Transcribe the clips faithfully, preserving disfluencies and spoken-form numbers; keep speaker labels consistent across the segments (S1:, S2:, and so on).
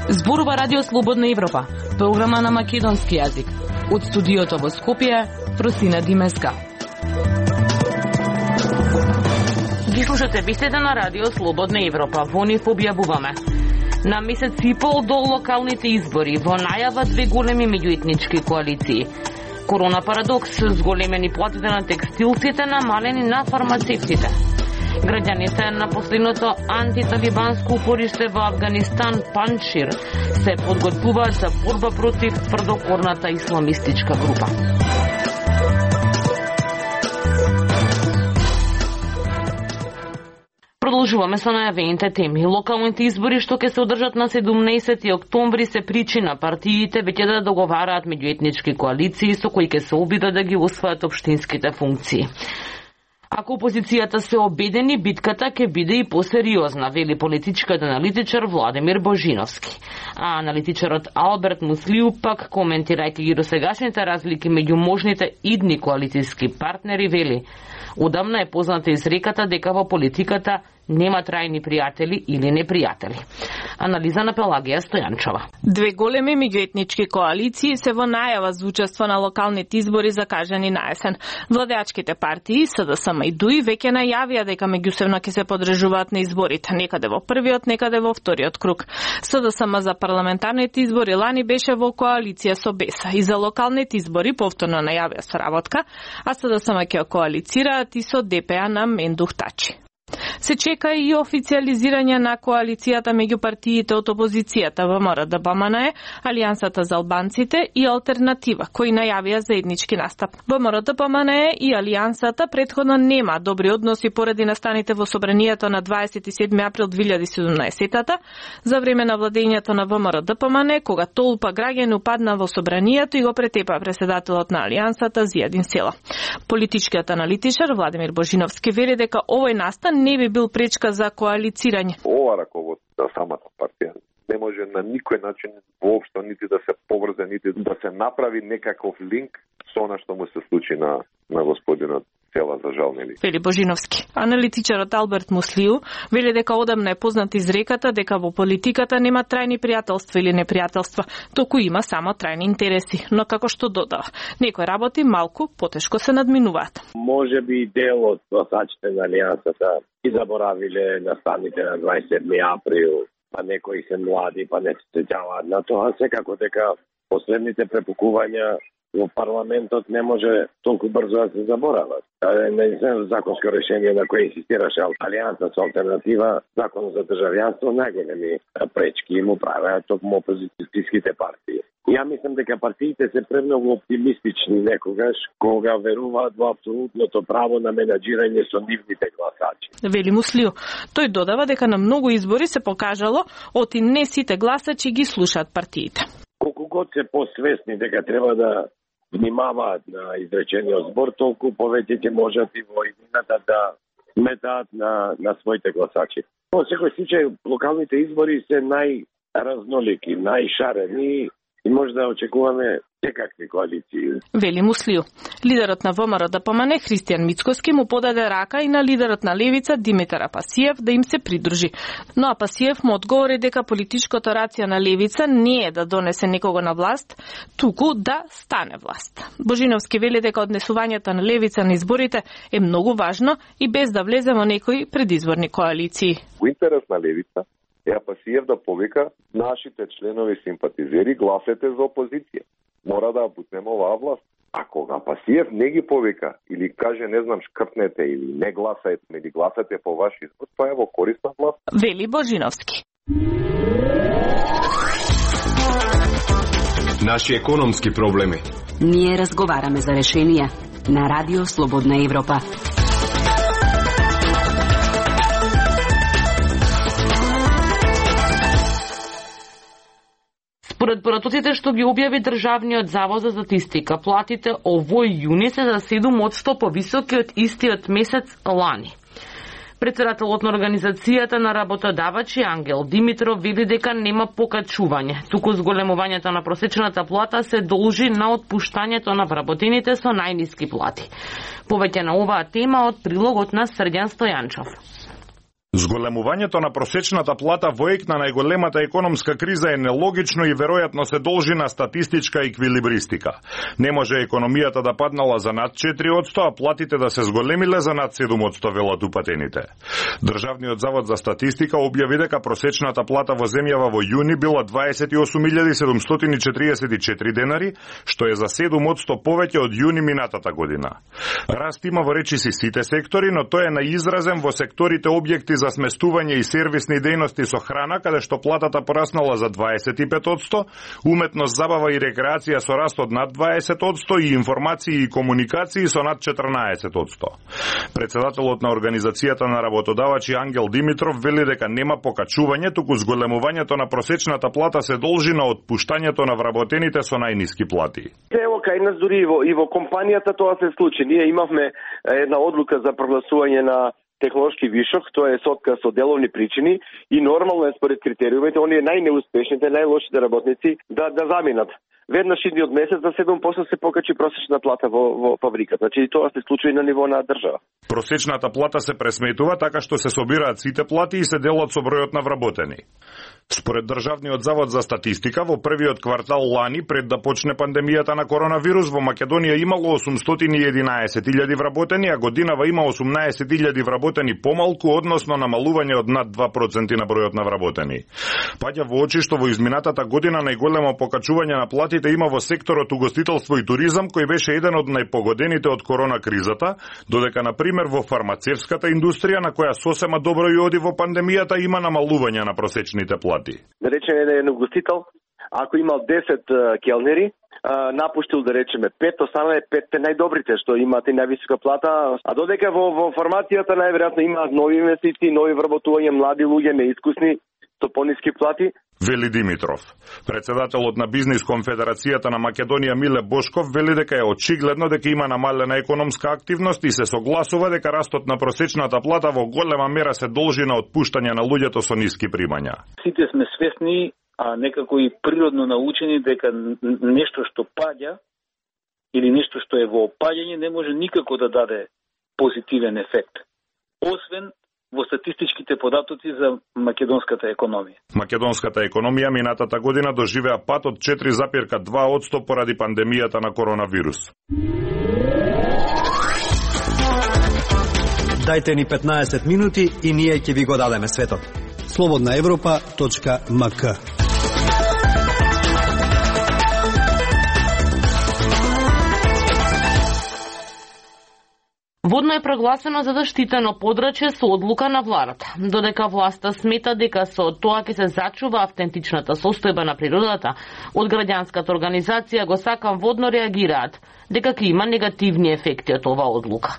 S1: Зборува Радио Слободна Европа, програма на македонски јазик. Од студиото во Скопје, Просина Димеска. Ги слушате вестите на Радио Слободна Европа. Во нив објавуваме. На месец и пол до локалните избори, во најава две големи меѓуетнички коалиции. Корона парадокс, зголемени платите на текстилците, намалени на фармацевтите. Граѓаните на последното антиталибанско упориште во Афганистан, Паншир, се подготвуваат за борба против тврдокорната исламистичка група. Продолжуваме со најавените теми. Локалните избори што ќе се одржат на седумнаесети октомври се причина партиите веќе да договараат меѓуетнички коалиции со кои ќе се обидат да ги освојат општинските функции. Ако опозицијата се обедени, битката ќе биде и посериозна, вели политичкиот аналитичар Владимир Божиновски. А аналитичарот Алберт Муслиу пак, коментирајќи ги досегашните разлики меѓу можните идни коалицијски партнери, вели: одамна е позната изреката дека во политиката нема трајни пријатели или непријатели. Анализа на Пелагија Стојанчова.
S2: Две големи меѓуетнички коалиции се во најава за учество на локалните избори закажани на есен. Владеачките партии СДСМ и ДУИ веќе најавија дека меѓусебно ќе се подржуваат на изборите, некаде во првиот, некаде во вториот круг. СДСМ за парламентарните избори лани беше во коалиција со БЕСА и за локалните избори повторно најавија соработка, а СДСМ ќе коалицираат и со ДПА на Мендух Тачи. Се чека и официализирање на коалицијата меѓу партиите од опозицијата ВМРО ДПМНЕ, Алијансата за албанците и Алтернатива, кои најавија заеднички настап. ВМРО ДПМНЕ и Алијансата претходно нема добри односи поради настаните во собранието на дваесет и седми април две илјади и седумнаесета за време на владењето на ВМРО ДПМНЕ, кога толпа граѓани упадна во собранието и го претепа преседателот на Алијансата Зијадин Села. Политичкиот аналитичар Владимир Божиновски вели дека овој настан не би бил пречка за коалицирање.
S3: Ова раководство на самата партија не може на никој начин воопшто нити да се поврзе, нити да се направи некаков линк со она што му се случи на, на господинот Села, за жал, нели.
S2: Вели Божиновски. Аналитичарот Алберт Муслиу вели дека одамна е позната изреката дека во политиката нема трајни пријателства или непријателства, току има само трајни интереси, но како што додава, некои работи малку потешко се надминуваат.
S4: Може би дел од гласачите на Алијансата и заборавиле настаните на дваесет и седми април, па некои се млади, па не се сеќаваат на тоа, секако дека последните препукувања во парламентот не може толку брзо да се заборават. Не знам законско решение на кое инсистираше Алијанса со Алтернатива, закон за државјанство, најголеми пречки му правеа токму опозицијските партии. Ја мислам дека партиите се премногу оптимистични некогаш кога веруваат во апсолутното право на менаџирање со нивните гласачи.
S2: Вели Муслиу. Тој додава дека на многу избори се покажало оти не сите гласачи ги слушаат партиите.
S4: Колку год се посвесни дека треба да внимаваат на изречениот збор, толку повеќе ќе можат и во иднината да сметаат на, на своите гласачи. Во секој случај, локалните избори се најразнолики, најшарени и може да очекуваме секакви коалиции.
S2: Вели Муслиу. Лидерот на ВМРО ДПМНЕ Христијан Мицкоски му подаде рака и на лидерот на Левица Димитар Апасиев да им се придружи. Но Апасиев му одговори дека политичкото рација на Левица не е да донесе некого на власт, туку да стане власт. Божиновски вели дека однесувањето на Левица на изборите е многу важно и без да влезе во некои предизборни коалиции.
S3: Во интерес на Левица е Апасиев да повика нашите членови симпатизери гласете за опозиција. Мора да бутнеме оваа власт. А кога Апасиев не ги повика или каже не знам шкртнете или не гласајте или гласате по ваш избор, тоа е во корист на власт.
S2: Вели Божиновски.
S5: Наши економски проблеми.
S6: Ние разговараме за решенија на Радио Слободна Европа.
S1: Според поратоците што ги објави Државниот завод за статистика, платите овој јуни се за седум одсто повисоки од истиот месец лани. Председателот на Организацијата на работодавачи Ангел Димитров вели дека нема покачување, туку зголемувањето на просечната плата се должи на отпуштањето на вработените со најниски плати. Повеќе на оваа тема од прилогот на Срдјан Стојанчов.
S7: Зголемувањето на просечната плата во ек на најголемата економска криза е нелогично и веројатно се должи на статистичка еквилибристика. Не може економијата да паднала за над четири одсто, а платите да се зголемиле за над седум одсто, велат упатените. Државниот завод за статистика објави дека просечната плата во земјава во јуни била дваесет и осум илјади седумстотини четиридесет и четири денари, што е за седум одсто повеќе од јуни минатата година. Раст има во речиси сите сектори, но тој е наизразен во секторите објекти за сместување и сервисни дејности со храна, каде што платата пораснала за дваесет и пет одсто, уметност, забава и рекреација со раст од над дваесет одсто и информации и комуникации со над четрнаесет одсто. Председателот на Организацијата на работодавачи Ангел Димитров вели дека нема покачување, туку зголемувањето на просечната плата се должи на отпуштањето на вработените со најниски плати.
S4: Ево кај нас дури и во, и во компанијата тоа се случи. Ние имавме една одлука за прогласување на технолошки вишок, тоа е со отказ од деловни причини и нормално е според критериумите оние најнеуспешните, најлошите работници да да заминат. Веднаш идниот месец за седум одсто се покачи просечна плата во во фабриката. Значи и тоа се случува и на ниво на држава.
S7: Просечната плата се пресметува така што се собираат сите плати и се делат со бројот на вработени. Според Државниот завод за статистика, во првиот квартал лани, пред да почне пандемијата на коронавирус, во Македонија имало осумстотини и единаесет илјади вработени, а годинава има осумнаесет илјади вработени помалку, односно намалување од над два проценти на бројот на вработени. Паѓа во очи што во изминатата година најголемо покачување на платите има во секторот угостителство и туризам, кој беше еден од најпогодените од корона кризата, додека на пример во фармацевската индустрија, на која сосема добро и оди во пандемијата, има намалување на просечните плати.
S4: Да речеме еден угостител, ако имал десет келнери, напуштил да речеме пет, останале петте најдобрите што имаат и највисока плата, а додека во, во фармацијата најверојатно имаат нови инвестиции, нови вработувања, млади луѓе неискусни со пониски плати.
S7: Вели Димитров. Председателот на Бизнис конфедерацијата на Македонија Миле Бошков вели дека е очигледно дека има намалена економска активност и се согласува дека растот на просечната плата во голема мера се должи на отпуштање на луѓето со ниски примања.
S8: Сите сме свесни, а некако и природно научени дека нешто што паѓа или нешто што е во опаѓање не може никако да даде позитивен ефект. Освен во статистичките податоци за македонската економија.
S7: Македонската економија минатата година доживеа пат од четири запирка два одсто поради пандемијата на коронавирус.
S9: Дајте ни петнаесет минути и ние ќе ви го дадеме светот. слободна европа точка ем ка.
S1: Водно е прогласено за заштитено подрачје со одлука на владата. Додека власта смета дека со тоа ќе се зачува автентичната состојба на природата, од граѓанската организација го сакам водно реагираат дека ќе има негативни ефекти од оваа одлука.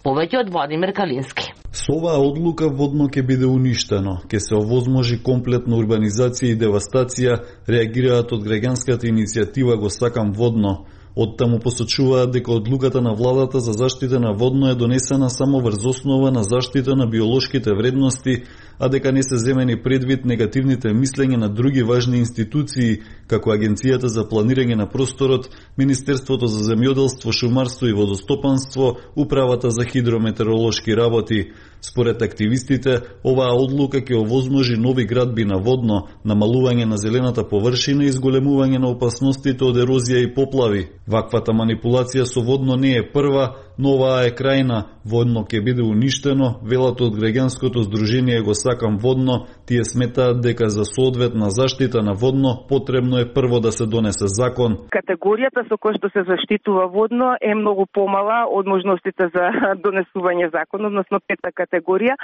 S1: Повеќе од Владимир Калински.
S10: Со оваа одлука водно ќе биде уништено, ќе се овозможи комплетна урбанизација и девастација, реагираат од граѓанската иницијатива Го сакам водно. Од таму посочуваат дека одлуката на владата за заштита на водно е донесена само врз основа на заштита на биолошките вредности, а дека не се земени предвид негативните мислења на други важни институции, како Агенцијата за планирање на просторот, Министерството за земјоделство, шумарство и водостопанство, Управата за хидрометеоролошки работи. Според активистите, оваа одлука ќе овозможи нови градби на водно, намалување на зелената површина и зголемување на опасностите од ерозија и поплави. Ваквата манипулација со водно не е прва, но оваа е крајна. Водно ќе биде уништено, велат од граѓанското здружение Го сакам водно. Тие сметаат дека за соодветна заштита на водно потребно е прво да се донесе закон.
S11: Категоријата со која што се заштитува водно е многу помала од можностите за донесување закон, односно пета категорија,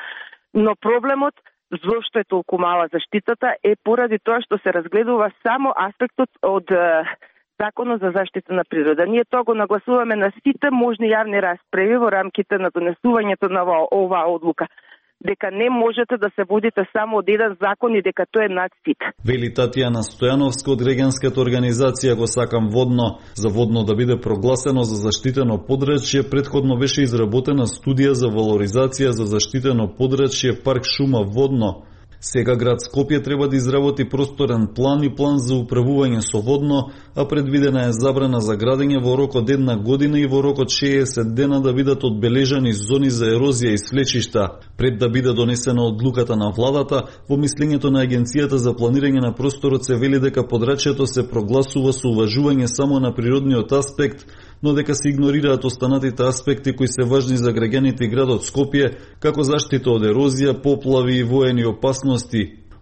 S11: но проблемот зошто е толку мала заштитата е поради тоа што се разгледува само аспектот од Законот за заштита на природа. Ние тоа го нагласуваме на сите можни јавни расправи во рамките на донесувањето на оваа одлука. дека не можете да се водите само од еден закон и дека тој е над сит.
S10: Вели Татјана Стојановска од граѓанската организација Го сакам водно. За водно да биде прогласено за заштитено подрачје, претходно беше изработена студија за валоризација за заштитено подрачје парк шума водно. Сега град Скопје треба да изработи просторен план и план за управување со водно, а предвидена е забрана за градење во рок од една година и во рок од шеесет дена да бидат одбележани зони за ерозија и слечишта. Пред да биде донесена одлуката на владата, во мислењето на Агенцијата за планирање на просторот се вели дека подрачјето се прогласува со уважување само на природниот аспект, но дека се игнорираат останатите аспекти кои се важни за граѓаните и градот Скопје, како заштита од ерозија, поплави и воени опасности.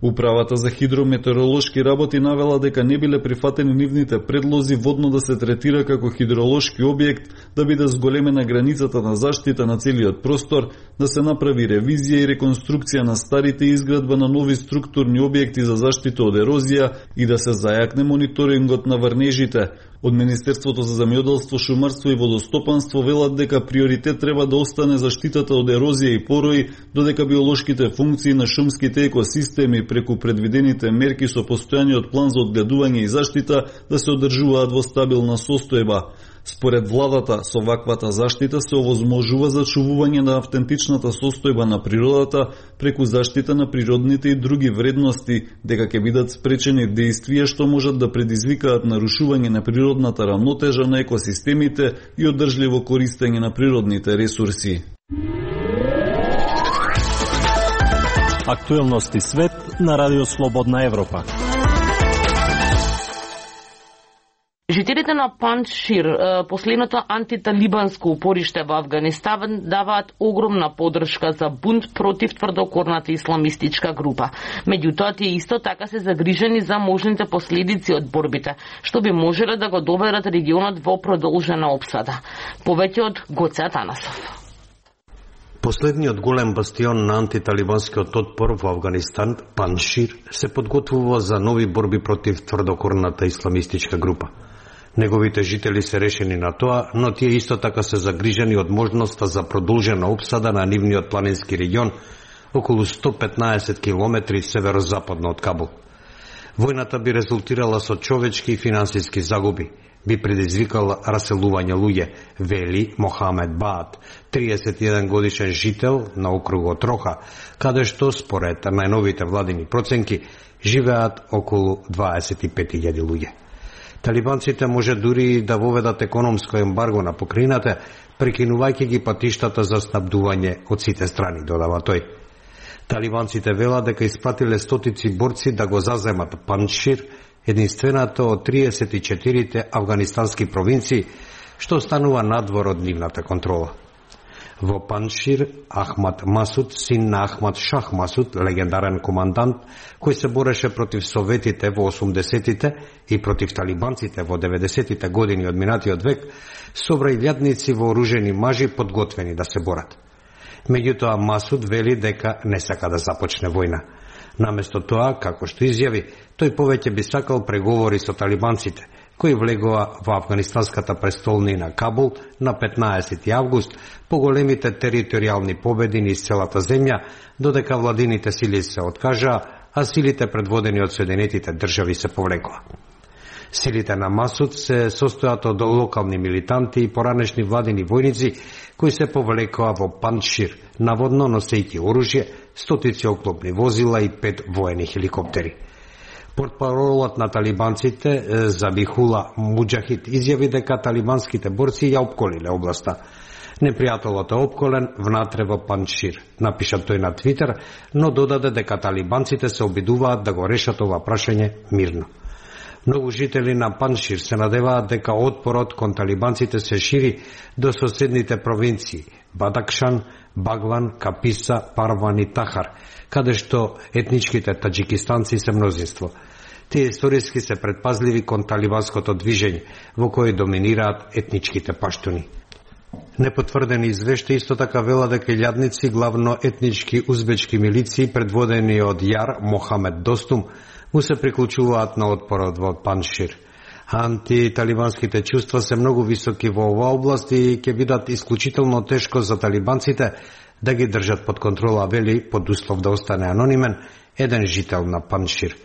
S10: Управата за хидрометеоролошки работи навела дека не биле прифатени нивните предлози водно да се третира како хидролошки објект, да биде зголемена границата на заштита на целиот простор, да се направи ревизија и реконструкција на старите и изградба на нови структурни објекти за заштита од ерозија и да се зајакне мониторингот на врнежите. Од Министерството за земјоделство, шумарство и водостопанство велат дека приоритет треба да остане заштитата од ерозија и порои, додека биолошките функции на шумските екосистеми преку предвидените мерки со постојаниот план за одгледување и заштита да се одржуваат во стабилна состојба. Според владата, со ваквата заштита се овозможува зачувување на автентичната состојба на природата преку заштита на природните и други вредности, дека ќе бидат спречени дејствија што можат да предизвикаат нарушување на природната рамнотежа на екосистемите и одржливо користење на природните ресурси.
S12: Актуелности свет на Радио Слободна Европа.
S1: Жителите на Паншир, последното антиталибанско упориште во Авганистан, даваат огромна подршка за бунт против тврдокорната исламистичка група. Меѓутоа, тие исто така се загрижени за можните последици од борбите, што би можеле да го доведат регионот во продолжена опсада. Повеќе од Гоце Атанасов.
S13: Последниот голем бастион на антиталибанскиот отпор во Авганистан, Паншир, се подготвува за нови борби против тврдокорната исламистичка група. Неговите жители се решени на тоа, но тие исто така се загрижени од можноста за продолжена опсада на нивниот планински регион, околу сто петнаесет километри северозападно од Кабул. Војната би резултирала со човечки и финансиски загуби, би предизвикала раселување луѓе, вели Мохамед Баат, триесет и еден годишен жител на округот Роха, каде што, според најновите владини проценки, живеат околу дваесет и пет илјади луѓе. Талибанците може дури да воведат економско ембарго на покрајината, прекинувајќи ги патиштата за снабдување од сите страни, додава тој. Талибанците велат дека испратиле стотици борци да го заземат Паншир, единствената од триесет и четирите афганистански провинции, што останува надвор од нивната контрола. Во Паншир, Ахмад Масуд, син на Ахмад Шах Масуд, легендарен командант, кој се бореше против советите во осумдесетите и против талибанците во деветдесетите години од минатиот век, собра илјадници вооружени мажи подготвени да се борат. Меѓутоа, Масуд вели дека не сака да започне војна. Наместо тоа, како што изјави, тој повеќе би сакал преговори со талибанците, кои влегоа во афганистанската престолнина Кабул на петнаесети август по големите територијални победи низ целата земја, додека владините сили се откажаа, а силите предводени од Соединетите држави се повлекоа. Силите на Масуд се состојат од локални милитанти и поранешни владини војници кои се повлекоа во Паншир, наводно носејќи оружје, стотици оклопни возила и пет воени хеликоптери. Портпаролот на талибанците Забихула Муџахид изјави дека талибанските борци ја опколиле областа. Непријателот е опколен внатре во Паншир, напиша тој на Твитер, но додаде дека талибанците се обидуваат да го решат ова прашање мирно. Многу жители на Паншир се надеваат дека отпорот кон талибанците се шири до соседните провинции Бадакшан, Баглан, Каписа, Парван и Тахар, каде што етничките таџикистанци се мнозинство. Тие историски се предпазливи кон талибанското движење, во кој доминираат етничките паштуни. Непотврдени извешти исто така вела дека илјадници главно етнички узбечки милиции предводени од Јар Мохамед Достум му се приклучуваат на отпорот во Паншир. Антиталибанските чувства се многу високи во оваа област и ќе бидат исклучително тешко за талибанците да ги држат под контрола, вели под услов да остане анонимен еден жител на Паншир.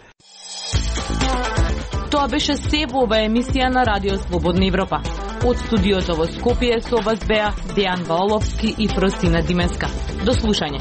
S2: Тоа беше се во оваа емисија на Радио Слободна Европа. Од студиото во Скопје со вас беа Дејан Ваоловски и Фростина Дименска. До слушање.